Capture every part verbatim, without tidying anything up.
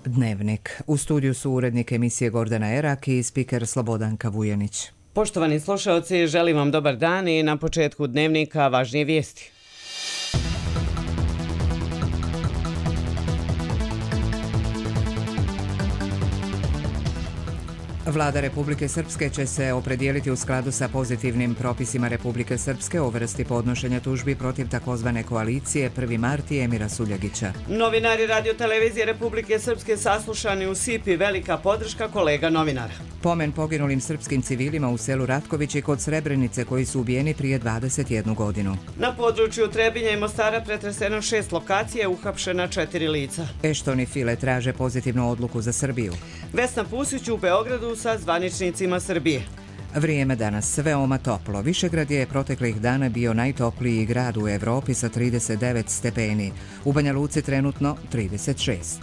Dnevnik. U studiju su urednik emisije Gordana Erak i spiker Slobodanka Vujanić. Poštovani slušalci, želim vam dobar dan i na početku Dnevnika važnije vijesti. Vlada Republike Srpske će se opredijeliti u skladu sa pozitivnim propisima Republike Srpske o vrsti podnošenja tužbi protiv takozvane koalicije prvi mart i Emira Suljagića. Novinari Radio televizije Republike Srpske saslušani u Sipi, velika podrška kolega novinara. Pomen poginulim srpskim civilima u selu Ratković i kod Srebrenice koji su ubijeni prije dvadeset jednu godinu. Na području Trebinja i Mostara pretreseno šest lokacija, uhapšena četiri lica. Ešton i File traže pozitivnu odluku za Srbiju. Vesna Pusić u Beogradu sa zvaničnicima Srbije. Vrijeme danas veoma toplo. Višegrad je proteklih dana bio najtopliji grad u Evropi sa trideset devet stepeni. U Banja Luci trenutno trideset šest.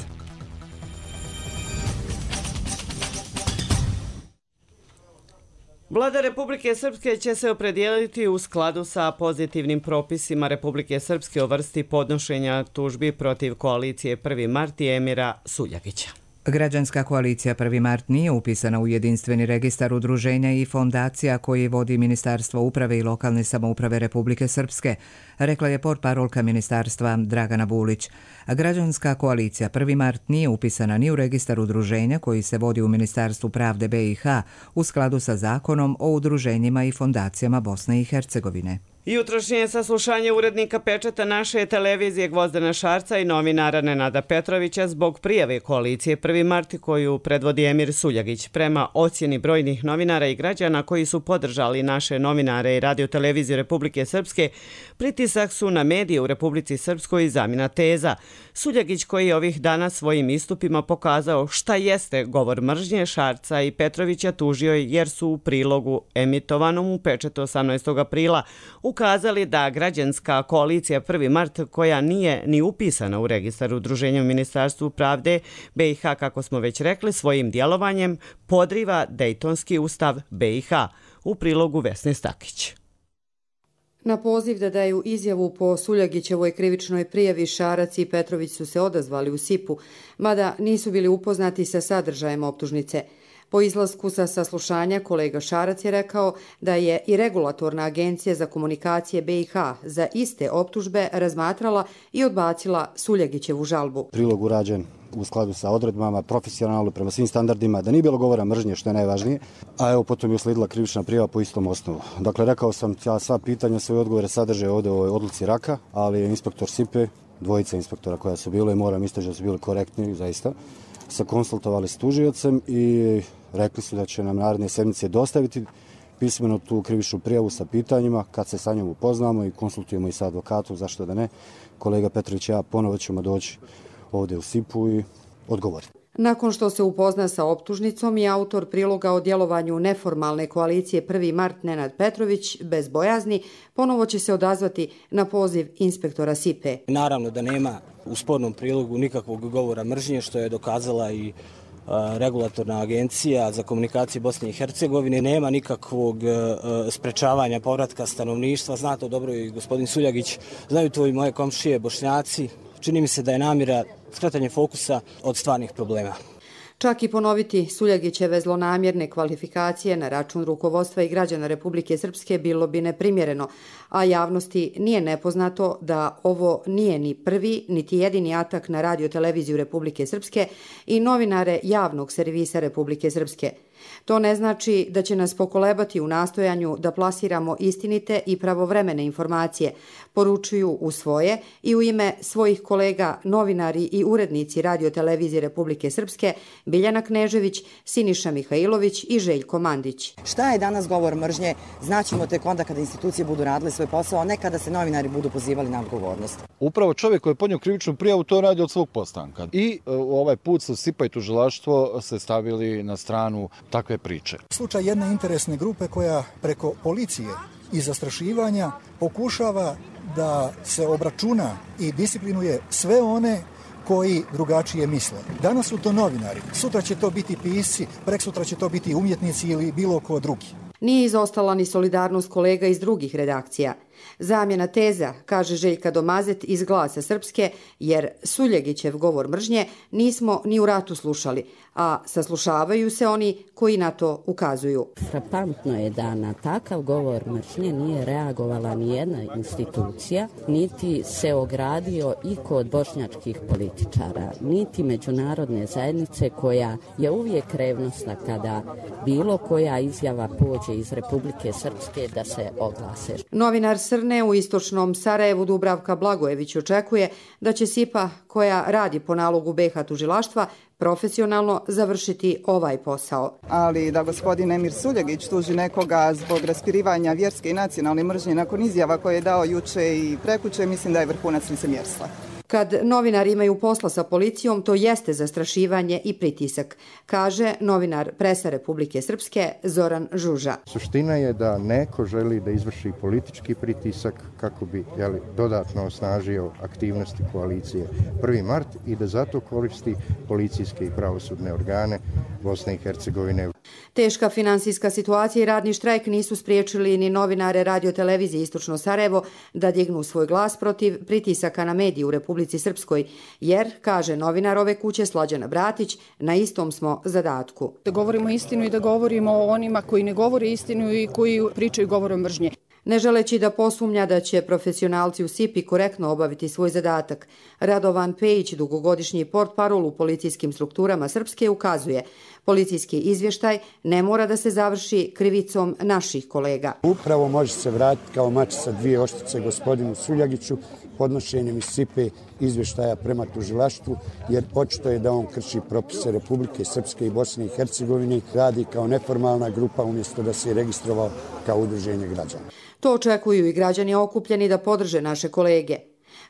Vlada Republike Srpske će se opredijeliti u skladu sa pozitivnim propisima Republike Srpske o vrsti podnošenja tužbi protiv koalicije prvi mart i Emira Suljagića. Građanska koalicija prvi mart nije upisana u jedinstveni registar udruženja i fondacija koji vodi Ministarstvo uprave i lokalne samouprave Republike Srpske, rekla je portparolka ministarstva Dragana Bulić. Građanska koalicija prvi mart nije upisana ni u registar udruženja koji se vodi u Ministarstvu pravde B i H u skladu sa zakonom o udruženjima i fondacijama Bosne i Hercegovine. Jutrošnje saslušanje urednika Pečata naše televizije Gvozdana Šarca i novinara Nenada Petrovića zbog prijave koalicije prvi mart koju predvodi Emir Suljagić. Prema ocjeni brojnih novinara i građana koji su podržali naše novinare i Radio televiziju Republike Srpske, pritisak su na medije u Republici Srpskoj zamjena teza. Suljagić koji je ovih dana svojim istupima pokazao šta jeste govor mržnje, Šarca i Petrovića tužio jer su u prilogu emitovanom u Pečatu osamnaestog aprila ukazali da građanska koalicija prvi mart koja nije ni upisana u registar udruženja u Ministarstvu pravde B i H, kako smo već rekli, svojim djelovanjem podriva Dejtonski ustav B i H. U prilogu Vesne Stakić. Na poziv da daju izjavu po Suljagićevoj krivičnoj prijavi Šarac i Petrović su se odazvali u Sipu, mada nisu bili upoznati sa sadržajem optužnice. Po izlasku sa saslušanja kolega Šarac je rekao da je i Regulatorna agencija za komunikacije B i H za iste optužbe razmatrala i odbacila Suljagićevu žalbu. Prilog urađen u skladu sa odredbama, profesionalno, prema svim standardima, da nije bilo govora mržnje, što je najvažnije, a evo potom je usledila krivična prijava po istom osnovu. Dakle, rekao sam, ja sva pitanja, svoje odgovore sadrže ovdje u ovoj odluci Raka, ali inspektor Sipe, dvojica inspektora koja su bile, moram istaći da su bili korektni, zaista, se konsultovali s tužiocem i rekli su da će nam naredne sedmice dostaviti pismeno tu krivičnu prijavu sa pitanjima, kad se sa njom upoznamo i konsultujemo i sa advokatom, zašto da ne. Kolega Petrović i ja ponovo ćemo doći ovdje u Sipu i odgovoriti. Nakon što se upozna sa optužnicom i autor priloga o djelovanju neformalne koalicije prvi mart Nenad Petrović, bez bojazni, ponovo će se odazvati na poziv inspektora Sipe. Naravno da nema u spornom prilogu nikakvog govora mržnje, što je dokazala i Regulatorna agencija za komunikacije Bosne i Hercegovine. Nema nikakvog sprečavanja povratka stanovništva. Zna to dobro i gospodin Suljagić, znaju to i moje komšije Bošnjaci. Čini mi se da je namjera skretanje fokusa od stvarnih problema. Čak i ponoviti Suljagićeve zlonamjerne kvalifikacije na račun rukovodstva i građana Republike Srpske bilo bi neprimjereno, a javnosti nije nepoznato da ovo nije ni prvi, niti jedini atak na Radio televiziju Republike Srpske i novinare javnog servisa Republike Srpske. To ne znači da će nas pokolebati u nastojanju da plasiramo istinite i pravovremene informacije, poručuju u svoje i u ime svojih kolega novinari i urednici Radio televizije Republike Srpske Biljana Knežević, Siniša Mihajlović i Željko Mandić. Šta je danas govor mržnje? Znaćemo tek onda kada institucije budu radile svoj posao, a ne kada se novinari budu pozivali na odgovornost. Upravo čovjek koji je podnio krivičnu prijavu to radi od svog postanka. I u ovaj put su Sipa i tužilaštvo se stavili na stranu takve priče. Slučaj jedne interesne grupe koja preko policije i zastrašivanja pokušava da se obračuna i disciplinuje sve one koji drugačije misle. Danas su to novinari, sutra će to biti pisci, preksutra će to biti umjetnici ili bilo ko drugi. Nije izostala ni solidarnost kolega iz drugih redakcija. Zamjena teza, kaže Željka Domazet iz Glasa Srpske, jer Suljegićev govor mržnje nismo ni u ratu slušali, a saslušavaju se oni koji na to ukazuju. Frapantno je da na takav govor mržnje nije reagovala ni jedna institucija, niti se ogradio i kod bošnjačkih političara, niti međunarodne zajednice koja je uvijek revnosna kada bilo koja izjava pođe iz Republike Srpske da se oglase. Novinar Srne u istočnom Sarajevu Dubravka Blagojević očekuje da će SIPA, koja radi po nalogu B i H tužilaštva, profesionalno završiti ovaj posao. Ali da gospodin Emir Suljegić tuži nekoga zbog raspirivanja vjerske i nacionalne mržnje nakon izjava koje je dao juče i prekuče, mislim da je vrhunac licemjerstva. Kad novinari imaju posla sa policijom, to jeste zastrašivanje i pritisak, kaže novinar Presa Republike Srpske Zoran Žuža. Suština je da neko želi da izvrši politički pritisak kako bi jeli, dodatno osnažio aktivnosti koalicije prvi mart i da zato koristi policijske i pravosudne organe Bosne i Hercegovine. Teška finansijska situacija i radni štrajk nisu spriječili ni novinare radiotelevizije Istočno Sarajevo da dignu svoj glas protiv pritisaka na medije u Republici Srpskoj, jer, kaže novinar ove kuće Slađana Bratić, na istom smo zadatku. Da govorimo istinu i da govorimo o onima koji ne govore istinu i koji pričaju govorom mržnje. Ne želeći da posumnja da će profesionalci u SIPI korektno obaviti svoj zadatak, Radovan Pejić, dugogodišnji portparol u policijskim strukturama Srpske, ukazuje: policijski izvještaj ne mora da se završi krivicom naših kolega. Upravo može se vratiti kao mač sa dvije oštice gospodinu Suljagiću podnošenjem iz SIPE izvještaja prema tužilaštvu, jer očito je da on krši propise Republike Srpske i Bosne i Hercegovine, radi kao neformalna grupa umjesto da se je registrovao kao udruženje građana. To očekuju i građani okupljeni da podrže naše kolege.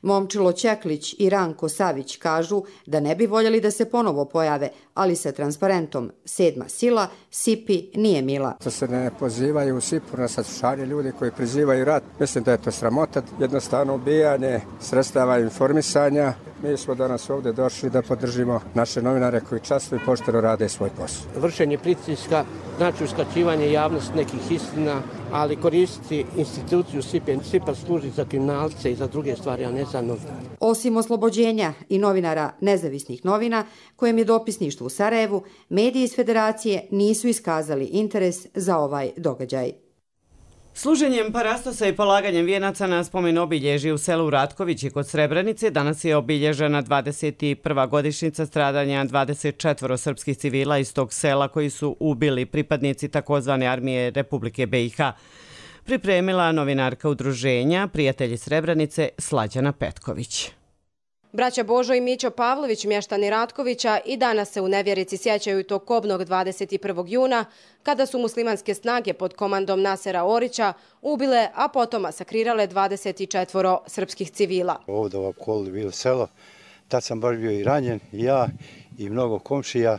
Momčilo Ćeklić i Ranko Savić kažu da ne bi voljeli da se ponovo pojave, ali sa transparentom sedma sila SIPI nije mila. To se ne pozivaju u SIPU na saslušanje ljudi koji prizivaju rat. Mislim da je to sramota, jednostavno ubijanje sredstava informisanja. Mi smo danas ovdje došli da podržimo naše novinare koji časno i pošteno rade svoj posao. Vršenje pritiska, znači uskraćivanje javnosti nekih istina, ali koristiti instituciju SIPA. SIPA služi za kriminalce i za druge stvari, a ne za novinare. Osim oslobođenja i novinara nezavisnih novina, kojem je dopisništvo u Sarajevu, mediji iz Federacije nisu iskazali interes za ovaj događaj. Služenjem parastosa i polaganjem vijenaca na spomen obilježje u selu Ratkovići kod Srebrenice danas je obilježena dvadeset prva godišnjica stradanja dvadeset četvoro srpskih civila iz tog sela koji su ubili pripadnici takozvane armije Republike B i H. Pripremila novinarka udruženja Prijatelji Srebrenice Slađana Petković. Braća Božo i Mićo Pavlović, mještani Ratkovića, i danas se u nevjerici sjećaju tog kobnog dvadeset prvog juna, kada su muslimanske snage pod komandom Nasera Orića ubile, a potom masakrirale dvadeset četvoro srpskih civila. Ovdje u okolu bilo selo, tad sam baš bio i ranjen, i ja i mnogo komšija.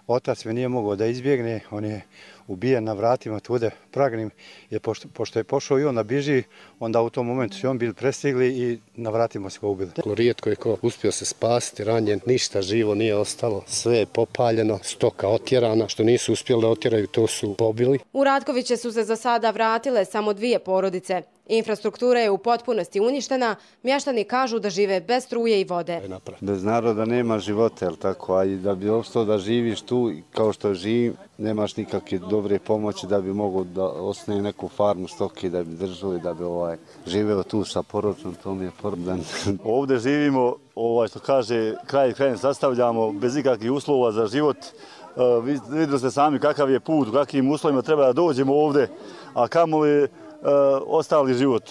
Otac me nije mogao da izbjegne, on je ubijen na vratima tude Pragnim, jer pošto, pošto je pošao i on da biži, onda u tom momentu su on bili prestigli i na vratima se ga ubili. Rijetko je ko uspio se spasiti, ranjen, ništa živo nije ostalo, sve je popaljeno, stoka otjerana, što nisu uspjeli da otjeraju, to su pobili. U Ratkoviće su se za sada vratile samo dvije porodice. Infrastruktura je u potpunosti uništena, mještani kažu da žive bez struje i vode. Bez naroda nema života, jel tako, a i da bi opstao da živiš tu kao što živim, nemaš nikakve dobre pomoći da bi mogo da osnovi neku farmu stoke, da bi držali, da bi ovaj, živeo tu sa porodicom, to mi je problem. Ovdje živimo, ovaj, što kaže, kraj krajem sastavljamo bez ikakvih uslova za život. Uh, vidjeli ste sami kakav je put, u kakvim uslovima treba da dođemo ovdje, a kamoli Uh, ostali život.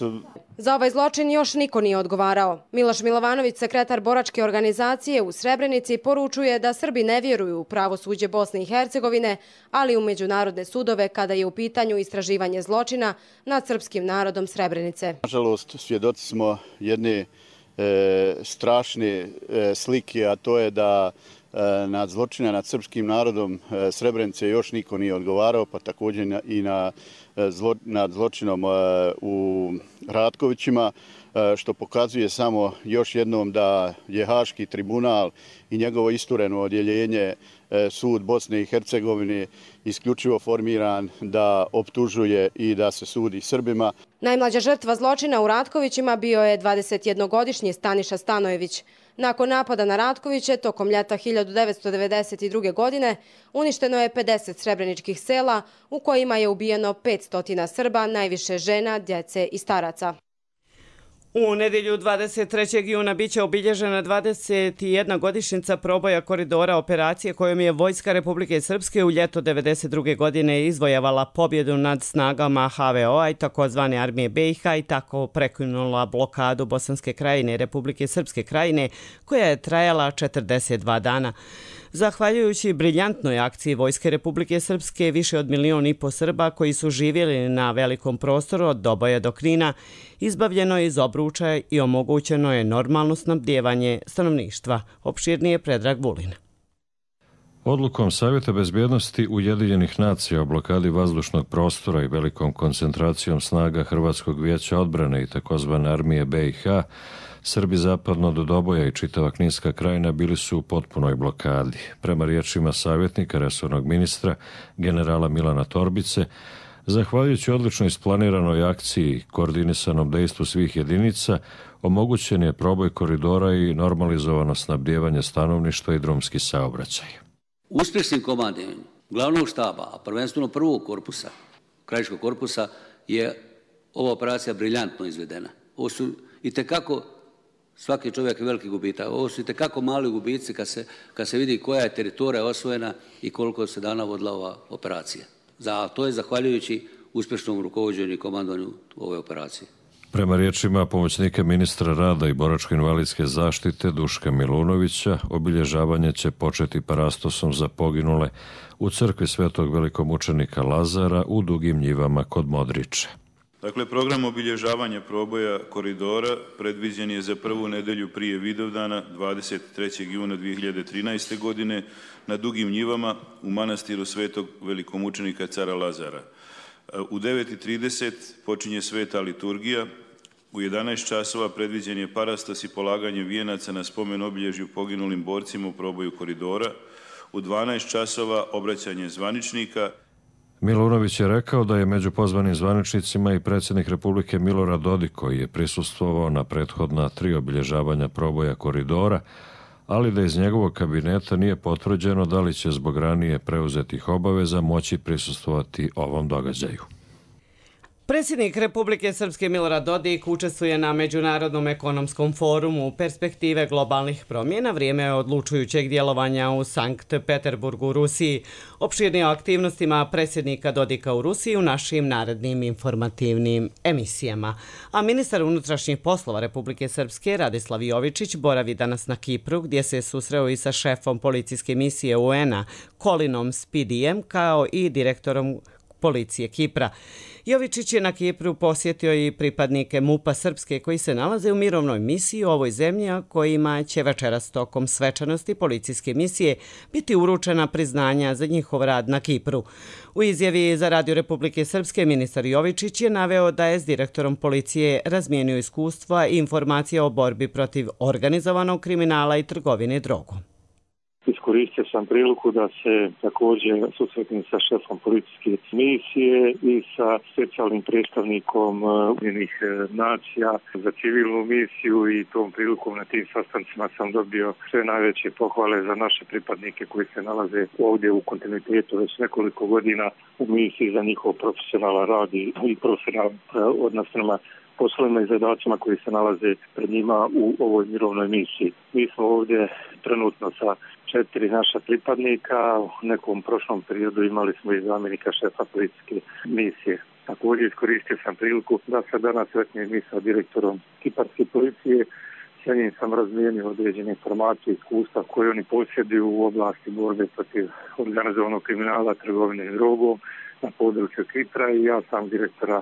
Za ovaj zločin još niko nije odgovarao. Miloš Milovanović, sekretar boračke organizacije u Srebrenici, poručuje da Srbi ne vjeruju u pravosuđe Bosne i Hercegovine, ali u međunarodne sudove kada je u pitanju istraživanje zločina nad srpskim narodom Srebrenice. Nažalost, svjedoci smo jedne e, strašne e, slike, a to je da nad zločina nad srpskim narodom Srebrenice još niko nije odgovarao, pa također i na, zlo, nad zločinom u Ratkovićima. što pokazuje samo još jednom da je Haški tribunal i njegovo istureno odjeljenje sud Bosne i Hercegovine isključivo formiran da optužuje i da se sudi Srbima. Najmlađa žrtva zločina u Ratkovićima bio je dvadesetjednogodišnji Staniša Stanojević. Nakon napada na Ratkoviće, tokom ljeta hiljadu devetsto devedeset druge. godine, uništeno je pedeset srebreničkih sela u kojima je ubijeno petsto Srba, najviše žena, djece i staraca. U nedjelju dvadeset trećeg juna biće obilježena dvadeset jedna godišnjica proboja koridora operacije kojom je Vojska Republike Srpske u ljeto devedeset druge. godine izvojevala pobjedu nad snagama H V O-a i takozvane armije B i H i tako prekinula blokadu Bosanske krajine i Republike Srpske krajine koja je trajala četrdeset dva dana. Zahvaljujući briljantnoj akciji Vojske Republike Srpske, više od milion i po Srba koji su živjeli na velikom prostoru od Doboja do Knina, izbavljeno je iz obruča i omogućeno je normalno snabdijevanje stanovništva. Opširnije Predrag Vulin. Odlukom Savjeta bezbjednosti Ujedinjenih nacija o blokadi vazdušnog prostora i velikom koncentracijom snaga Hrvatskog vijeća odbrane i takozvane armije B i H, Srbi zapadno do Doboja i čitava Kninska krajina bili su u potpunoj blokadi. Prema riječima savjetnika resornog ministra, generala Milana Torbice, zahvaljujući odlično isplaniranoj akciji i koordinisanom dejstvu svih jedinica, omogućen je proboj koridora i normalizovano snabdijevanje stanovništva i drumski saobraćaj. Uspješnim komandiranjem glavnog štaba, a prvenstveno prvog korpusa, krajiškog korpusa, je ova operacija briljantno izvedena. Ovo su itekako, svaki čovjek je veliki gubitak, ovo su itekako mali gubici kad se, kad se vidi koja je teritorija osvojena i koliko se dana vodila ova operacija. Za, to je zahvaljujući uspješnom rukovođenju i komandovanju ove operacije. Prema riječima pomoćnika ministra rada i boračko-invalidske zaštite Duška Milunovića, obilježavanje će početi parastosom za poginule u crkvi Svetog velikomučenika Lazara u Dugim njivama kod Modriče. Dakle, program obilježavanja proboja koridora predviđen je za prvu nedelju prije Vidovdana dvadeset trećeg juna dvije hiljade trinaeste. godine na Dugim njivama u manastiru Svetog velikomučenika cara Lazara. U devet i trideset počinje sveta liturgija, u jedanaest časova predviđen je parastos i polaganje vijenaca na spomen obilježju poginulim borcima u proboju koridora, u dvanaest časova obraćanje zvaničnika. Milunović je rekao da je među pozvanim zvaničnicima i predsjednik Republike Milorad Dodik koji je prisustvovao na prethodna tri obilježavanja proboja koridora, ali da iz njegovog kabineta nije potvrđeno da li će zbog ranije preuzetih obaveza moći prisustvovati ovom događaju. Predsjednik Republike Srpske Milorad Dodik učestvuje na Međunarodnom ekonomskom forumu Perspektive globalnih promjena, vrijeme odlučujućeg djelovanja u Sankt Peterburgu u Rusiji. Opširnije o aktivnostima predsjednika Dodika u Rusiji u našim narednim informativnim emisijama. A ministar unutrašnjih poslova Republike Srpske Radislav Jovičić boravi danas na Kipru, gdje se susreo i sa šefom policijske misije U N-a Kolinom Spidijem, kao i direktorom policije Kipra. Jovičić je na Kipru posjetio i pripadnike MUP-a Srpske koji se nalaze u mirovnoj misiji u ovoj zemlji, a kojima će večeras tokom svečanosti policijske misije biti uručena priznanja za njihov rad na Kipru. U izjavi za Radio Republike Srpske ministar Jovičić je naveo da je s direktorom policije razmijenio iskustva i informacije o borbi protiv organizovanog kriminala i trgovine drogom. Iskoristio sam priliku da se također susretnim sa šefom policijske misije i sa specijalnim predstavnikom Ujedinjenih nacija za civilnu misiju i tom prilikom na tim sastancima sam dobio sve najveće pohvale za naše pripadnike koji se nalaze ovdje u kontinuitetu već nekoliko godina u misiji za njihov profesionalan rad i profesionalan odnos prema poslovima i zadacima koji se nalaze pred njima u ovoj mirovnoj misiji. Mi smo ovdje trenutno sa četiri naša pripadnika, u nekom prošlom periodu imali smo i zamjenika šefa policijske misije. Također iskoristio sam priliku da se danas sretnem i sa direktorom kiparske policije. Sa njim sam razmijenio određene informacije i iskustva koje oni posjeduju u oblasti borbe protiv organizovanog kriminala, trgovine drogom na području Kipra i ja sam direktora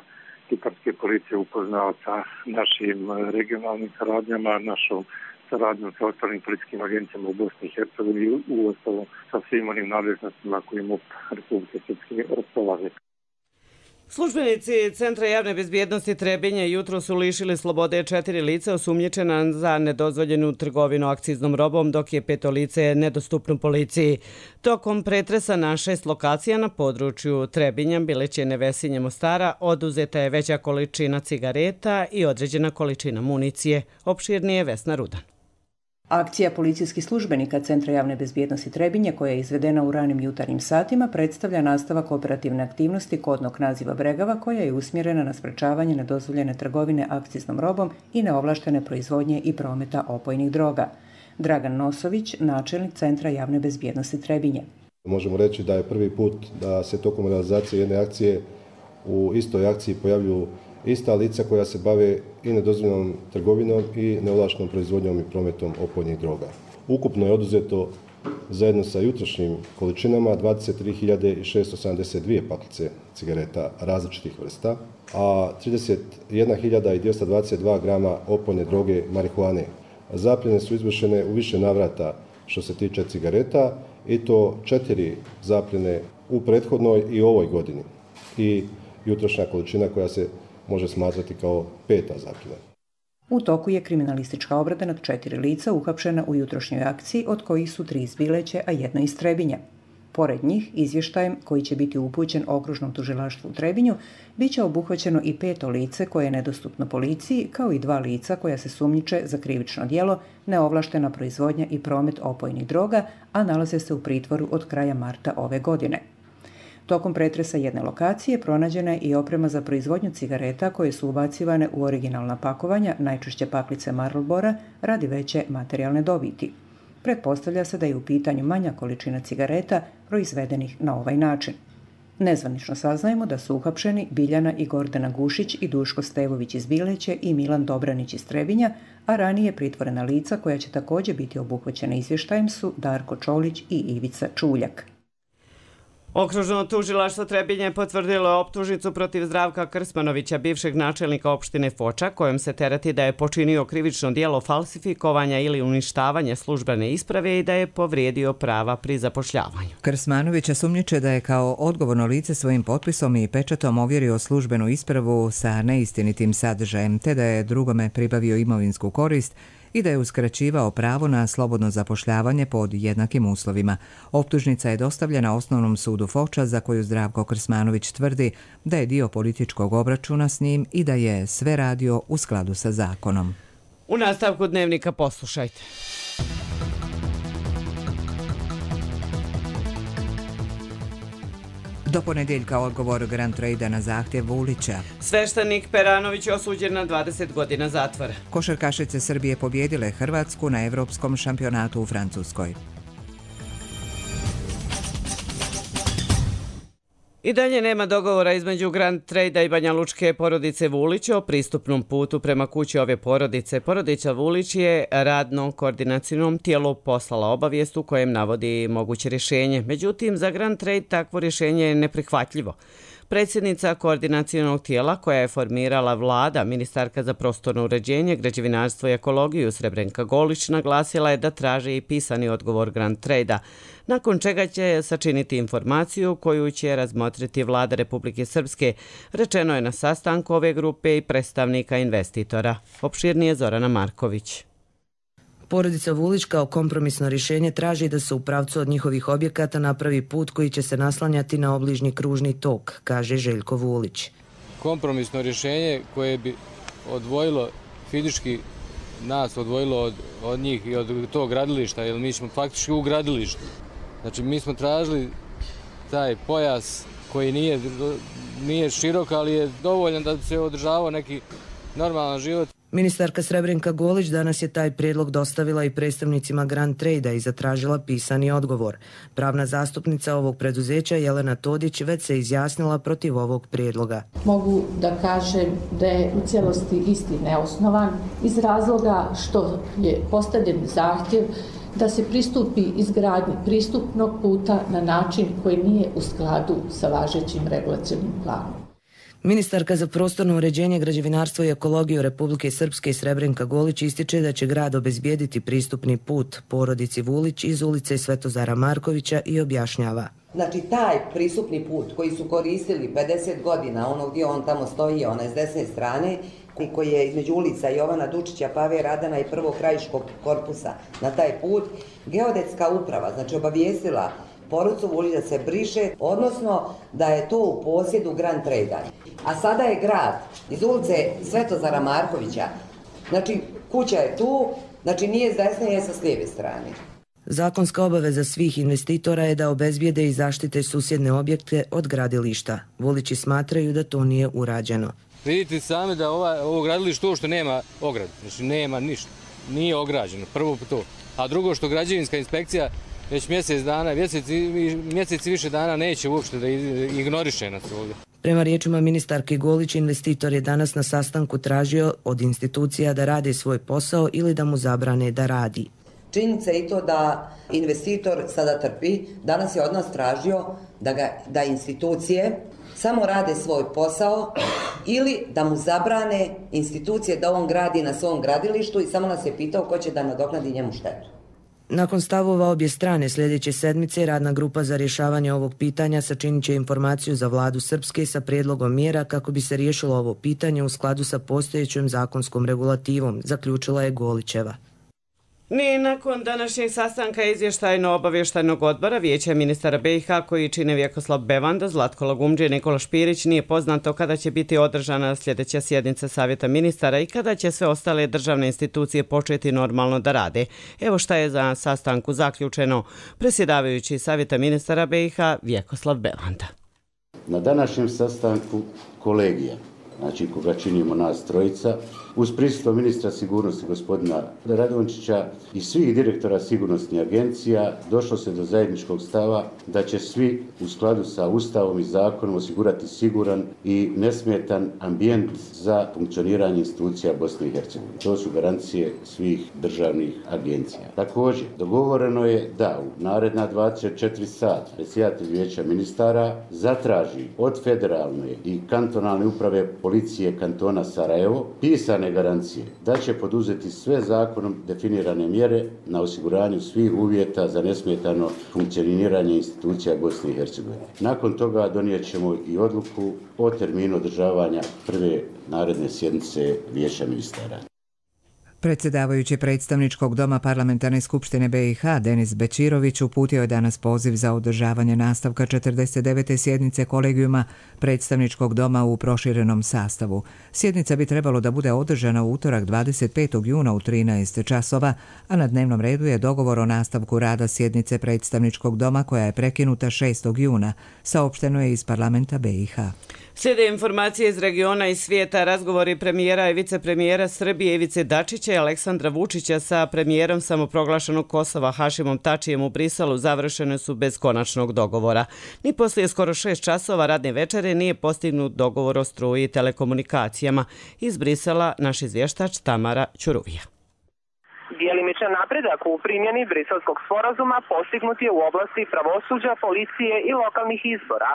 kiparske policije upoznao sa našim regionalnim saradnjama, našom saradnjom sa ostalim policijskim agencijama u Bosni i Hercegovini i u ostalom sa svim onim nadležnostima koje MUP Republike Srpske raspolaže. Službenici Centra javne bezbjednosti Trebinje jutro su lišili slobode četiri lica osumnjičena za nedozvoljenu trgovinu akciznom robom, dok je peto lice nedostupno policiji. Tokom pretresa na šest lokacija na području Trebinja, Bilećine, Vesinje, Mostara oduzeta je veća količina cigareta i određena količina municije. Opširnije Vesna Rudan. Akcija policijskih službenika Centra javne bezbjednosti Trebinje, koja je izvedena u ranim jutarnjim satima, predstavlja nastavak operativne aktivnosti kodnog naziva Bregava, koja je usmjerena na sprečavanje nedozvoljene trgovine akciznom robom i neovlaštene proizvodnje i prometa opojnih droga. Dragan Nosović, načelnik Centra javne bezbjednosti Trebinje. Možemo reći da je prvi put da se tokom realizacije jedne akcije u istoj akciji pojavljuju ista lica koja se bave i nedozvoljenom trgovinom i neovlaštenom proizvodnjom i prometom opojnih droga. Ukupno je oduzeto zajedno sa jutrošnjim količinama dvadeset tri hiljade šesto sedamdeset dvije paklice cigareta različitih vrsta, a trideset jedna hiljada dvjesto dvadeset dva grama opojne droge marihuane. Zapljene su izvršene u više navrata što se tiče cigareta i to četiri zapljene u prethodnoj i ovoj godini i jutrošnja količina koja se može smatrati kao peta zapljena. U toku je kriminalistička obrada nad četiri lica uhapšena u jutrošnjoj akciji, od kojih su tri iz Bileće, a jedna iz Trebinja. Pored njih, izvještajem koji će biti upućen okružnom tužilaštvu u Trebinju, bit će obuhvaćeno i peto lice koje je nedostupno policiji, kao i dva lica koja se sumnjiče za krivično djelo, neovlaštena proizvodnja i promet opojnih droga, a nalaze se u pritvoru od kraja marta ove godine. Tokom pretresa jedne lokacije pronađena je i oprema za proizvodnju cigareta koje su ubacivane u originalna pakovanja, najčešće paklice Marlbora, radi veće materijalne dobiti. Pretpostavlja se da je u pitanju manja količina cigareta proizvedenih na ovaj način. Nezvanično saznajemo da su uhapšeni Biljana i Gordana Gušić i Duško Stevović iz Bileće i Milan Dobranić iz Trebinja, a ranije pritvorena lica koja će također biti obuhvaćena izvještajem su Darko Čolić i Ivica Čuljak. Okružno tužilaštvo Trebinje potvrdilo je optužnicu protiv Zdravka Krsmanovića, bivšeg načelnika opštine Foča, kojom se tereti da je počinio krivično djelo falsifikovanja ili uništavanja službene isprave i da je povrijedio prava pri zapošljavanju. Krsmanovića sumnjiče da je kao odgovorno lice svojim potpisom i pečatom ovjerio službenu ispravu sa neistinitim sadržajem, te da je drugome pribavio imovinsku korist i da je uskraćivao pravo na slobodno zapošljavanje pod jednakim uslovima. Optužnica je dostavljena Osnovnom sudu Foča, za koju Zdravko Krsmanović tvrdi da je dio političkog obračuna s njim i da je sve radio u skladu sa zakonom. U nastavku dnevnika poslušajte. Do ponedjeljka odgovor Grand Trade-a na zahtjev Vulića. Sveštenik Peranović osuđen na dvadeset godina zatvora. Košarkašice Srbije pobjedile Hrvatsku na Evropskom šampionatu u Francuskoj. I dalje nema dogovora između Grand Trade-a i banjalučke porodice Vulić o pristupnom putu prema kući ove porodice. Porodica Vulić je radnom koordinacijnom tijelu poslala obavijest u kojem navodi moguće rješenje. Međutim, za Grand Trade takvo rješenje je neprihvatljivo. Predsjednica koordinacijnog tijela koja je formirala vlada, ministarka za prostorno uređenje, građevinarstvo i ekologiju Srebrenka Golić, naglasila je da traži i pisani odgovor Grand Trade-a, nakon čega će sačiniti informaciju koju će razmotriti vlada Republike Srpske, rečeno je na sastanku ove grupe i predstavnika investitora. Opširnije Zorana Marković. Porodica Vulić kao kompromisno rješenje traži da se u pravcu od njihovih objekata napravi put koji će se naslanjati na obližnji kružni tok, kaže Željko Vulić. Kompromisno rješenje koje bi odvojilo fizički nas, odvojilo od, od njih i od tog gradilišta, jer mi smo faktički u gradilištu. Znači mi smo tražili taj pojas koji nije, nije širok, ali je dovoljan da se održavao neki normalan život. Ministarka Srebrenka Golić danas je taj prijedlog dostavila i predstavnicima Grand Trade-a i zatražila pisani odgovor. Pravna zastupnica ovog preduzeća Jelena Todić već se izjasnila protiv ovog prijedloga. Mogu da kažem da je u cijelosti isti neosnovan iz razloga što je postavljen zahtjev da se pristupi izgradnji pristupnog puta na način koji nije u skladu sa važećim regulacionim planom. Ministarka za prostorno uređenje, građevinarstvo i ekologiju Republike Srpske Srebrenka Golić ističe da će grad obezbijediti pristupni put porodici Vulić iz ulice Svetozara Markovića i objašnjava. Znači, taj pristupni put koji su koristili pedeset godina, ono gdje on tamo stoji, onaj s desne strane, koji je između ulica Jovana Dučića, Pave Radana i prvog krajiškog korpusa na taj put, geodetska uprava, znači obavijestila porodicu Vuljić da se briše, odnosno da je to u posjedu Grand Trade-a. A sada je grad iz ulice Svetozara Markovića, znači kuća je tu, znači nije s desne, je sa s lijeve strane. Zakonska obaveza svih investitora je da obezbijede i zaštite susjedne objekte od gradilišta. Vulići smatraju da to nije urađeno. Vidite sami da ova, ovo gradilište to što nema ograd, znači nema ništa, nije ograđeno, prvo to. A drugo što građevinska inspekcija već mjesec dana, mjesec, mjesec i više dana neće uopšte da ignoriše nas ovdje. Prema riječima ministarke Golić, investitor je danas na sastanku tražio od institucija da rade svoj posao ili da mu zabrane da radi. Činjenica je i to da investitor sada trpi, danas je od nas tražio da, ga, da institucije samo rade svoj posao ili da mu zabrane institucije da on gradi na svom gradilištu i samo nas je pitao ko će da nadoknadi njemu štetu. Nakon stavova obje strane sljedeće sedmice radna grupa za rješavanje ovog pitanja sačinit će informaciju za vladu Srpske sa prijedlogom mjera kako bi se riješilo ovo pitanje u skladu sa postojećom zakonskom regulativom, zaključila je Golićeva. Ni nakon današnjeg sastanka izvještajno-obavještajnog odbora Vijeća ministara B i H koji čine Vjekoslav Bevanda, Zlatko Lagumdžija i Nikola Špirić nije poznato kada će biti održana sljedeća sjednica Savjeta ministara i kada će sve ostale državne institucije početi normalno da rade. Evo šta je za sastanku zaključeno predsjedavajući Savjeta ministara B i H Vjekoslav Bevanda. Na današnjem sastanku kolegija, znači koga činimo nas trojica, uz prisustvo ministra sigurnosti gospodina Radončića i svih direktora sigurnosnih agencija došlo se do zajedničkog stava da će svi u skladu sa Ustavom i zakonom osigurati siguran i nesmetan ambijent za funkcioniranje institucija Bosne i Hercegovine. To su garancije svih državnih agencija. Također, dogovoreno je da u naredna dvadeset četiri sata predsjedatelj Vijeća ministara zatraži od federalne i kantonalne uprave policije kantona Sarajevo pisane garancije da će poduzeti sve zakonom definirane mjere na osiguranju svih uvjeta za nesmetano funkcioniranje institucija Bosne i Hercegovine. Nakon toga donijet ćemo i odluku o terminu održavanja prve naredne sjednice Vijeća ministara. Predsjedavajući predstavničkog doma Parlamentarne skupštine B i H Denis Bečirović uputio je danas poziv za održavanje nastavka četrdeset devete sjednice kolegijuma predstavničkog doma u proširenom sastavu. Sjednica bi trebalo da bude održana u utorak dvadeset petog juna u trinaest časova, a na dnevnom redu je dogovor o nastavku rada sjednice predstavničkog doma koja je prekinuta šestog juna, saopšteno je iz parlamenta B i H. Slijede informacije iz regiona i svijeta. Razgovori premijera i vicepremijera Srbije Ivice Dačića i Aleksandra Vučića sa premijerom samoproglašenog Kosova Hašimom Tačijem u Briselu završene su bez konačnog dogovora. Ni poslije skoro šest časova radne večere nije postignut dogovor o struji i telekomunikacijama. Iz Brisela naš izvještač Tamara Ćuruvija. Djelimičan napredak u primjeni Briselskog sporazuma postignut je u oblasti pravosuđa, policije i lokalnih izbora.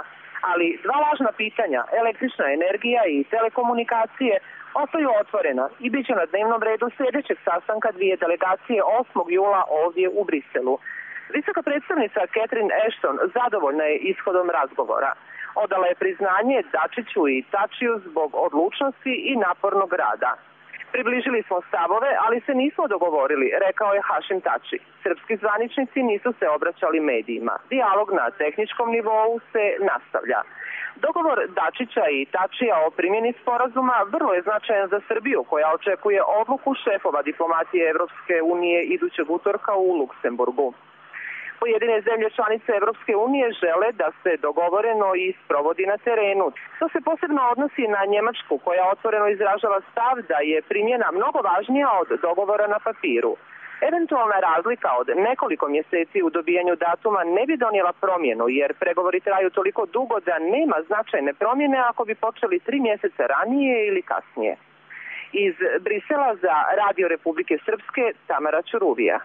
Ali dva važna pitanja, električna energija i telekomunikacije, ostaju otvorena i bit će na dnevnom redu sljedećeg sastanka dvije delegacije osmog jula ovdje u Briselu. Visoka predstavnica Catherine Ashton zadovoljna je ishodom razgovora. Odala je priznanje Dačiću i Tačiju zbog odlučnosti i napornog rada. Približili smo stavove, ali se nismo dogovorili, rekao je Hašim Tači. Srpski zvaničnici nisu se obraćali medijima. Dijalog na tehničkom nivou se nastavlja. Dogovor Dačića i Tačija o primjeni sporazuma vrlo je značajan za Srbiju, koja očekuje odluku šefova diplomatije Evropske unije idućeg utorka u Luksemburgu. Pojedine zemlje članice Evropske unije žele da se dogovoreno i sprovodi na terenu. To se posebno odnosi na Njemačku, koja otvoreno izražava stav da je primjena mnogo važnija od dogovora na papiru. Eventualna razlika od nekoliko mjeseci u dobijanju datuma ne bi donijela promjenu, jer pregovori traju toliko dugo da nema značajne promjene ako bi počeli tri mjeseca ranije ili kasnije. Iz Brisela za Radio Republike Srpske, Tamara Ćuruvija.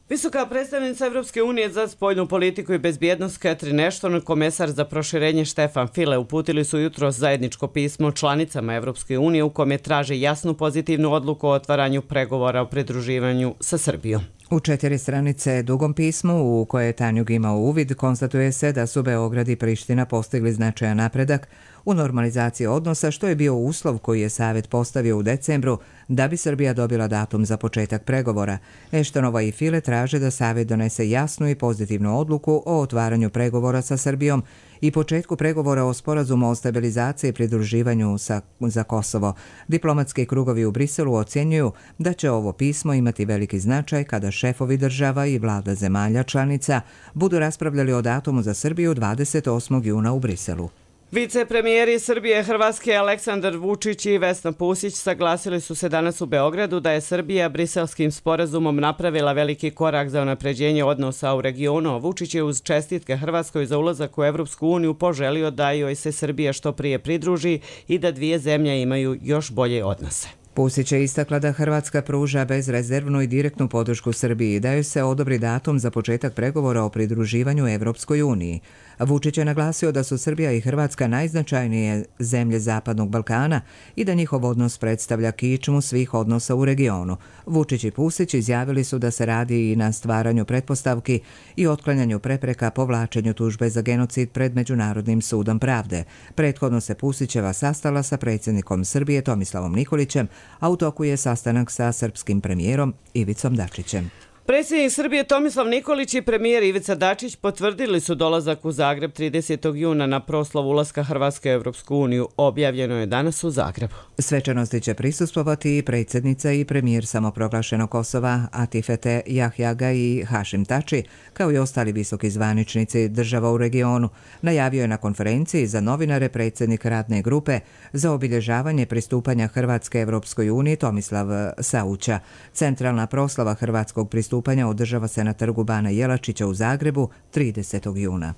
Visoka predstavnica Evropske unije za spoljnu politiku i bezbjednost Catherine Ashton i komesar za proširenje Štefan File uputili su jutros zajedničko pismo članicama Evropske unije u kome traže jasnu pozitivnu odluku o otvaranju pregovora o pridruživanju sa Srbijom. U četiri stranice dugom pismu u koje je Tanjug imao uvid, konstatuje se da su Beograd i Priština postigli značajan napredak u normalizaciji odnosa, što je bio uslov koji je Savet postavio u decembru da bi Srbija dobila datum za početak pregovora. Eštonova i File traže da Savet donese jasnu i pozitivnu odluku o otvaranju pregovora sa Srbijom i početku pregovora o sporazumu o stabilizaciji i pridruživanju sa, za Kosovo. Diplomatski krugovi u Briselu ocjenjuju da će ovo pismo imati veliki značaj kada šefovi država i vlada zemalja članica budu raspravljali o datumu za Srbiju dvadeset osmog juna u Briselu. Vicepremijeri Srbije Hrvatske Aleksandar Vučić i Vesna Pusić saglasili su se danas u Beogradu da je Srbija Briselskim sporazumom napravila veliki korak za unapređenje odnosa u regionu. Vučić je uz čestitke Hrvatskoj za ulazak u Evropsku uniju poželio da joj se Srbija što prije pridruži i da dvije zemlje imaju još bolje odnose. Pusić je istakla da Hrvatska pruža bezrezervnu i direktnu podršku Srbiji i da joj se odobri datum za početak pregovora o pridruživanju Evropskoj uniji. Vučić je naglasio da su Srbija i Hrvatska najznačajnije zemlje Zapadnog Balkana i da njihov odnos predstavlja kičmu svih odnosa u regionu. Vučić i Pusić izjavili su da se radi i na stvaranju pretpostavki i otklanjanju prepreka povlačenju tužbe za genocid pred Međunarodnim sudom pravde. Prethodno se Pusićeva sastala sa predsjednikom Srbije Tomislavom Nikolićem, a u toku je sastanak sa srpskim premijerom Ivicom Dačićem. Predsjednik Srbije Tomislav Nikolić i premijer Ivica Dačić potvrdili su dolazak u Zagreb tridesetog juna na proslavu ulaska Hrvatske u Evropsku uniju. Objavljeno je danas u Zagrebu. Svečanosti će prisustvovati i predsjednica i premijer samoproglašenog Kosova Atifete Jahjaga i Hašim Tači, kao i ostali visoki zvaničnici država u regionu, najavio je na konferenciji za novinare predsjednik radne grupe za obilježavanje pristupanja Hrvatske Evropskoj uniji Tomislav Sauća. Centralna proslava hrvatskog pristupanja održava se na trgu Bana Jelačića u Zagrebu tridesetog juna.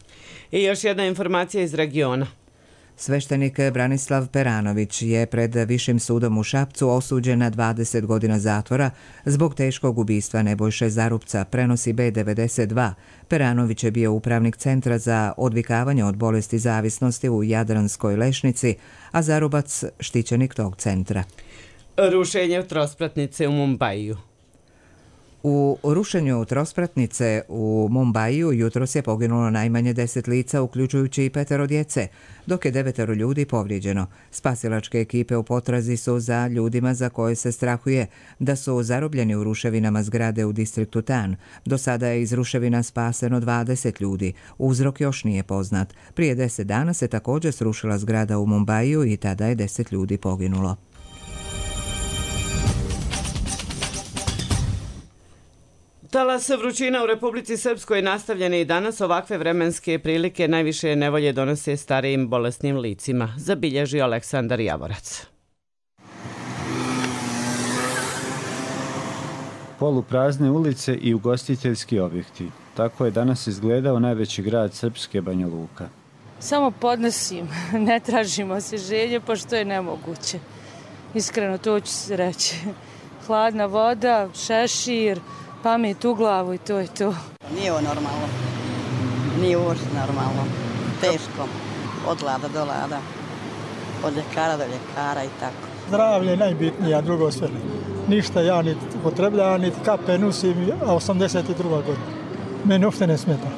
I još jedna informacija iz regiona. Sveštenik Branislav Peranović je pred Višim sudom u Šapcu osuđen na dvadeset godina zatvora zbog teškog ubistva Nebojše Zarupca, prenosi B devedeset dva. Peranović je bio upravnik Centra za odvikavanje od bolesti zavisnosti u Jadranskoj Lešnici, a Zarubac štićenik tog centra. Rušenje trospratnice u Mumbaiju. U rušenju trospratnice u Mumbaiju jutros je poginulo najmanje deset lica, uključujući i petero djece, dok je devetero ljudi povrijeđeno. Spasilačke ekipe u potrazi su za ljudima za koje se strahuje da su zarobljeni u ruševinama zgrade u distriktu Tan. Do sada je iz ruševina spaseno dvadeset ljudi. Uzrok još nije poznat. Prije deset dana se također srušila zgrada u Mumbaiju i tada je deset ljudi poginulo. Talas vrućina u Republici Srpskoj nastavljene i danas. Ovakve vremenske prilike najviše nevolje donose starijim bolesnim licima, zabilježi Aleksandar Javorac. Poluprazne ulice i ugostiteljski objekti. Tako je danas izgledao najveći grad Srpske, Banja Luka. Samo podnosim, ne tražimo se želje, pošto je nemoguće. Iskreno, to ću se reći. Hladna voda, šešir, pamet u glavu i to je to. Nije ovo normalno. Nije uopšte normalno. Teško. Od lada do lada. Od ljekara do ljekara i tako. Zdravlje je najbitnije, a drugo sve. Ništa ja niti upotrebljam, niti kape nosim, a osamdeset druga godina. Meni uopšte ne smeta.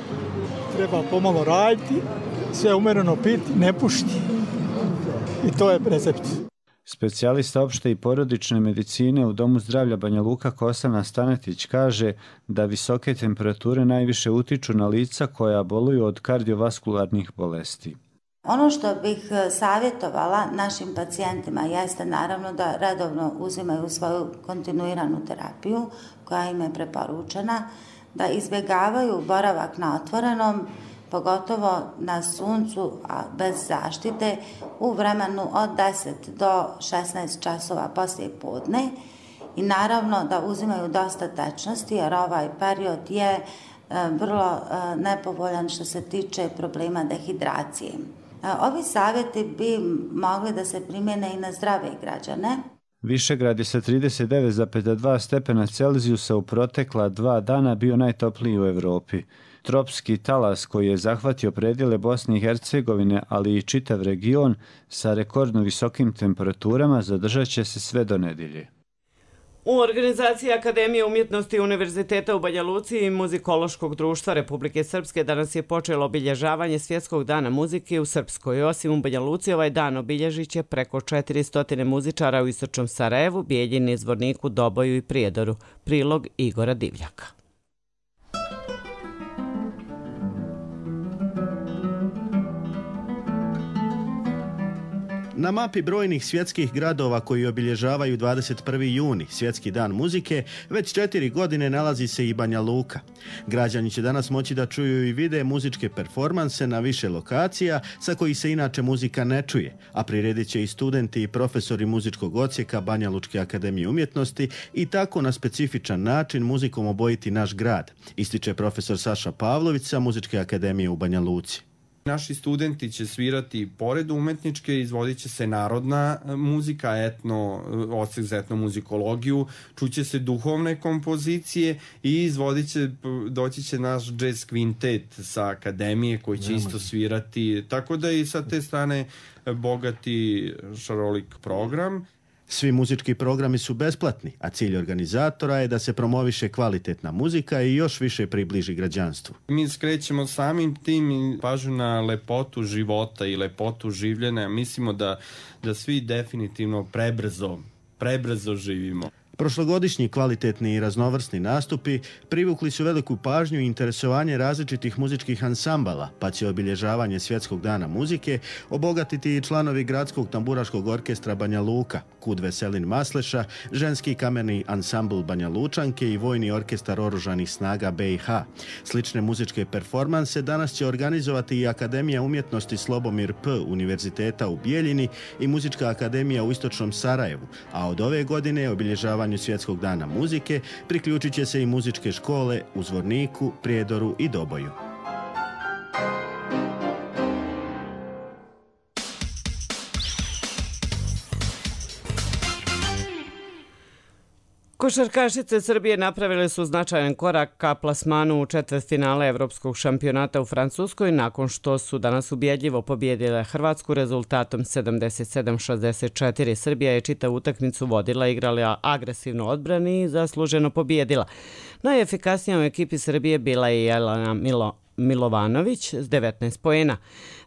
Treba pomalo raditi, sve umereno piti, ne pušiti. I to je recept. Specijalista opšte i porodične medicine u Domu zdravlja Banja Luka Kosana Stanetić kaže da visoke temperature najviše utiču na lica koja boluju od kardiovaskularnih bolesti. Ono što bih savjetovala našim pacijentima jeste naravno da redovno uzimaju svoju kontinuiranu terapiju koja im je preporučena, da izbjegavaju boravak na otvorenom, pogotovo na suncu, a bez zaštite, u vremenu od deset do šesnaest časova poslije podne i naravno da uzimaju dosta tečnosti jer ovaj period je vrlo nepovoljan što se tiče problema dehidracije. Ovi savjeti bi mogli da se primjene i na zdrave građane. Višegrad je sa trideset devet zarez dva stepena Celzijusa u protekla dva dana bio najtopliji u Evropi. Tropski talas koji je zahvatio predjele Bosne i Hercegovine, ali i čitav region sa rekordno visokim temperaturama zadržat će se sve do nedjelje. U organizaciji Akademije umjetnosti Univerziteta u Banja Luci i Muzikološkog društva Republike Srpske danas je počelo obilježavanje Svjetskog dana muzike u Srpskoj. Osim u Banja Luci, ovaj dan obilježit će preko četiristo muzičara u istočnom Sarajevu, Bijeljini, Zvorniku, Doboju i Prijedoru. Prilog Igora Divljaka. Na mapi brojnih svjetskih gradova koji obilježavaju dvadeset prvi juni, Svjetski dan muzike, već četiri godine nalazi se i Banja Luka. Građani će danas moći da čuju i vide muzičke performanse na više lokacija sa kojih se inače muzika ne čuje, a priredit će i studenti i profesori muzičkog odsjeka Banja Lučke akademije umjetnosti i tako na specifičan način muzikom obojiti naš grad, ističe profesor Saša Pavlović sa Muzičke akademije u Banja Luci. Naši studenti će svirati pored umetničke, izvodit će se narodna muzika, etno, odsek za etnomuzikologiju, čuće se duhovne kompozicije i izvodit će, doći će naš jazz kvintet sa akademije koji će isto svirati, tako da i sa te strane bogati šarolik program. Svi muzički programi su besplatni, a cilj organizatora je da se promoviše kvalitetna muzika i još više približi građanstvu. Mi skrećemo samim tim pažnju na lepotu života i lepotu življenja. Mislimo da, da svi definitivno prebrzo, prebrzo živimo. Prošlogodišnji kvalitetni i raznovrsni nastupi privukli su veliku pažnju i interesovanje različitih muzičkih ansambala, pa će obilježavanje Svjetskog dana muzike obogatiti i članovi Gradskog tamburaškog orkestra Banja Luka, Kud Veselin Masleša, ženski kamerni ansambl Banja Lučanke i vojni orkestar oružanih snaga B i H. Slične muzičke performanse danas će organizovati i Akademija umjetnosti Slobomir P. Univerziteta u Bijeljini i Muzička akademija u istočnom Sarajevu, a od ove godine obilježavanje Svjetskog dana muzike priključit će se i muzičke škole u Zvorniku, Prijedoru i Doboju. Košarkašice Srbije napravile su značajan korak ka plasmanu u četvrtfinale Evropskog šampionata u Francuskoj nakon što su danas ubjedljivo pobijedile Hrvatsku rezultatom sedamdeset sedam šezdeset četiri. Srbija je čitavu utakmicu vodila, igrala agresivno odbrani i zasluženo pobijedila. Najefikasnija u ekipi Srbije bila je Jelena Milo Milovanović s devetnaest poena.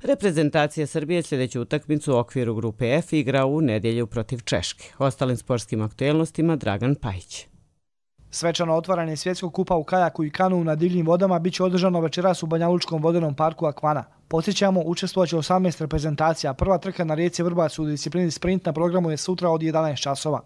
Reprezentacija Srbije sljedeću utakmicu u okviru grupe F igra u nedjelju protiv Češke. Ostalim sportskim aktuelnostima Dragan Pajić. Svečano otvaranje svjetskog kupa u kajaku i kanu na divljim vodama biće održano večeras u Banjalučkom vodenom parku Akvana. Podsjećamo, učestvovaće osamnaest reprezentacija. Prva trka na rijeci Vrbac u disciplini sprint na programu je sutra od jedanaest časova.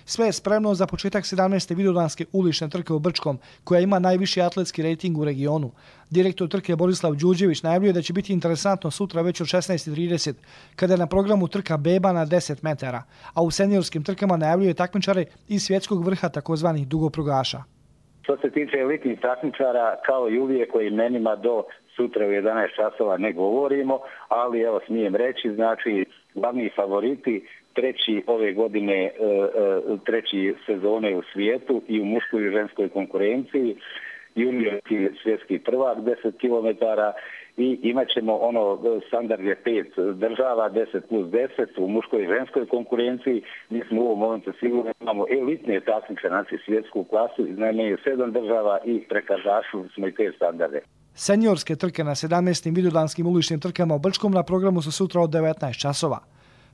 Sve je spremno za početak sedamnaeste vidovdanske ulične trke u Brčkom, koja ima najviši atletski rejting u regionu. Direktor trke Borislav Đurđević najavljuje da će biti interesantno sutra već od šesnaest i trideset, kada je na programu trka beba na deset metara, a u seniorskim trkama najavljuje takmičare iz svjetskog vrha takozvanih dugoprugaša. Što se tiče elitnih takmičara, kao i uvijek o imenima do sutra u jedanaest časova ne govorimo, ali evo smijem reći, znači glavni favoriti treći ove godine, treći sezone u svijetu i u muškoj i ženskoj konkurenciji, juniorski svjetski prvak deset kilometara i imat ćemo ono, standard je pet država, deset plus deset u muškoj i ženskoj konkurenciji. Mi smo u ovom momentu sigurno imamo elitne takmičare, znači svjetsku klasu, najmanje sedam država i prekazašu smo i te standarde. Seniorske trke na sedamnaestim vidovdanskim uličnim trkama u Brčkom na programu su sutra od devetnaest časova.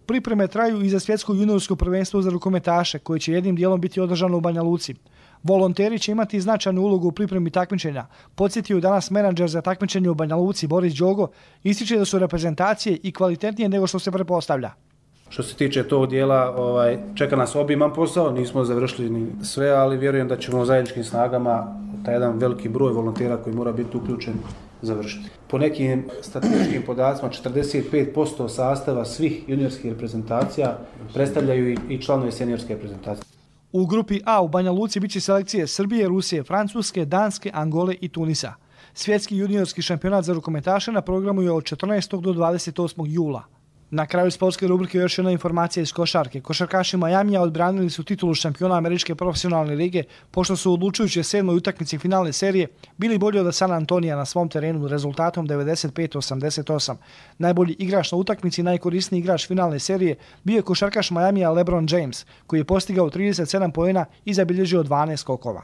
Pripreme traju i za svjetsko juniorsko prvenstvo za rukometaše, koje će jednim dijelom biti održano u Banja Luci. Volonteri će imati značajnu ulogu u pripremi takmičenja. Podsjetio danas menadžer za takmičenje u Banja Luci Boris Đogo, ističe da su reprezentacije i kvalitetnije nego što se pretpostavlja. Što se tiče tog dijela, ovaj, čeka nas obiman posao, nismo završili ni sve, ali vjerujem da ćemo zajedničkim snagama taj jedan veliki broj volontera koji mora biti uključen završiti. Po nekim statističkim podacima, četrdeset pet posto sastava svih juniorskih reprezentacija predstavljaju i članovi seniorske reprezentacije. U grupi A u Banja Luci biće selekcije Srbije, Rusije, Francuske, Danske, Angole i Tunisa. Svjetski juniorski šampionat za rukometaše na programu je od četrnaestog do dvadeset osmog jula. Na kraju sportske rubrike još jedna informacija iz košarke. Košarkaši Majamija odbranili su titulu šampiona Američke profesionalne lige pošto su u odlučujućoj sedmoj utakmici finalne serije bili bolji od San Antonija na svom terenu rezultatom devedeset pet osamdeset osam. Najbolji igrač na utakmici i najkorisniji igrač finalne serije bio je košarkaš Majamija LeBron James, koji je postigao trideset sedam poena i zabilježio dvanaest skokova.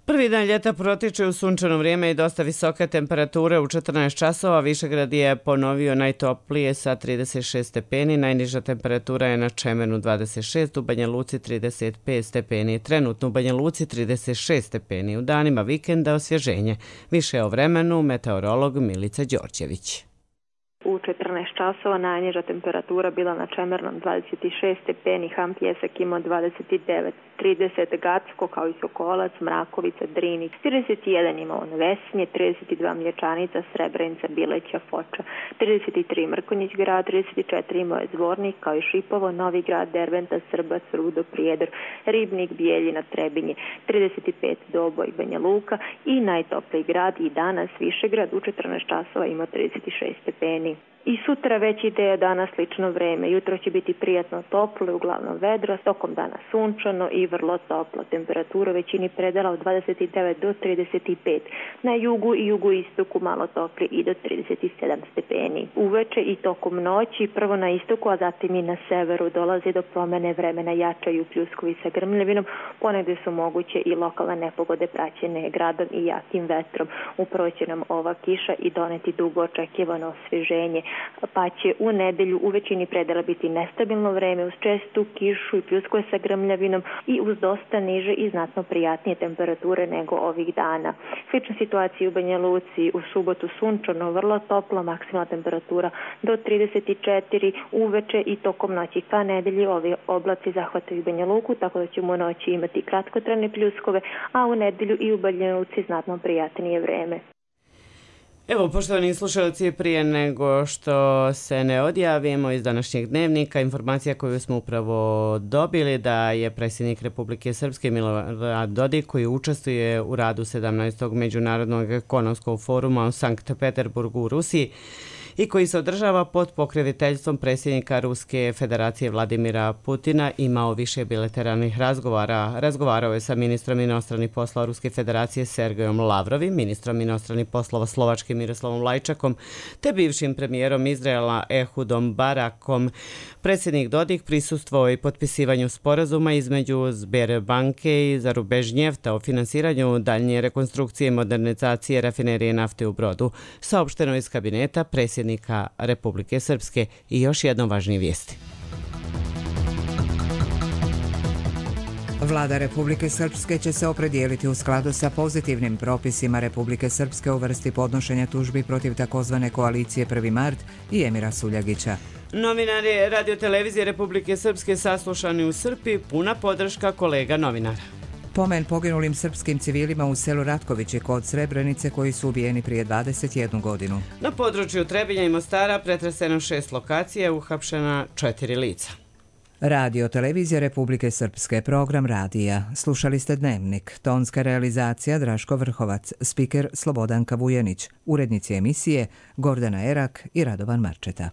Prvi dan ljeta protiče u sunčano vrijeme i dosta visoke temperature u četrnaest časova. Višegrad je ponovio najtoplije sa trideset šest stepeni, najniža temperatura je na Čemernu dvadeset šest, u Banja Luci trideset pet stepeni, trenutno u Banja Luci trideset šest stepeni. U danima vikenda osvježenje. Više o vremenu meteorolog Milica Đorđević. U četrnaest časova najniža temperatura bila na Čemernom dvadeset šest stepeni, Ham Pjesak imao dvadeset devet, trideset Gacko kao i Sokolac, Mrakovica, Drinić, trideset jedan imao Vesnje, trideset dva Mlječanica, Srebrenica, Bileća, Foča, trideset tri Mrkonjić grad, trideset četiri imao je Zvornik kao i Šipovo, Novi grad, Derventa, Srbac, Rudo, Prijedor, Ribnik, Bijeljina, Trebinje, trideset pet Doboj, Banja Luka i najtopliji grad i danas Višegrad u četrnaest časova ima trideset šest stepeni. I sutra već ide danas slično vreme. Jutro će biti prijatno toplo, uglavnom vedro, tokom dana sunčano i vrlo toplo. Temperatura većini predela od dvadeset devet do trideset pet. Na jugu i jugoistoku malo topli i do trideset sedam stepeni. Uveče i tokom noći, prvo na istoku, a zatim i na severu dolazi do promene vremena, jačaju pljuskovi sa grmljavinom, ponegde su moguće i lokalne nepogode praćene gradom i jakim vetrom. Upravo će nam ova kiša i doneti dugo očekivano osvježenje, pa će u nedelju u većini predela biti nestabilno vreme uz čestu kišu i pljuskove sa grmljavinom i uz dosta niže i znatno prijatnije temperature nego ovih dana. Slična situacija u Banja Luci, u subotu sunčano, vrlo toplo, maksimalna temperatura do trideset četiri, uveče i tokom noći ka nedelji ovi oblaci zahvataju Banja Luku, tako da ćemo u noći imati kratkotrajne pljuskove, a u nedelju i u Banja Luci znatno prijatnije vreme. Evo, poštovani slušalci, prije nego što se ne odjavimo iz današnjeg dnevnika, informacija koju smo upravo dobili da je predsjednik Republike Srpske Milorad Dodik, koji učestvuje u radu sedamnaestog Međunarodnog ekonomskog foruma u Sankt Peterburgu u Rusiji i koji se održava pod pokroviteljstvom predsjednika Ruske federacije Vladimira Putina, imao više bilateralnih razgovara. Razgovarao je sa ministrom inostranih poslova Ruske federacije Sergejom Lavrovim, ministrom inostranih poslova Slovačke Miroslavom Lajčakom, te bivšim premijerom Izraela Ehudom Barakom. Predsjednik Dodik prisustvovao i potpisivanju sporazuma između Sberbanke i Zarubežnjefta o finansiranju daljnje rekonstrukcije i modernizacije rafinerije nafte u Brodu, saopšteno iz kabineta predsjednika Republike Srpske. I još jednom važnije vijesti. Vlada Republike Srpske će se opredijeliti u skladu sa pozitivnim propisima Republike Srpske u vrsti podnošenja tužbi protiv takozvane koalicije prvi mart i Emira Suljagića. Novinari radiotelevizije Republike Srpske saslušani u Srpi, puna podrška kolega novinara. Pomen poginulim srpskim civilima u selu Ratkovići kod Srebrenice koji su ubijeni prije dvadeset jednu godinu. Na području Trebinja i Mostara pretreseno šest lokacija, uhapšena četiri lica. Radio Televizija Republike Srpske, program radija. Slušali ste Dnevnik. Tonska realizacija Draško Vrhovac, spiker Slobodanka Vujanić, urednici emisije Gordana Erak i Radovan Marčeta.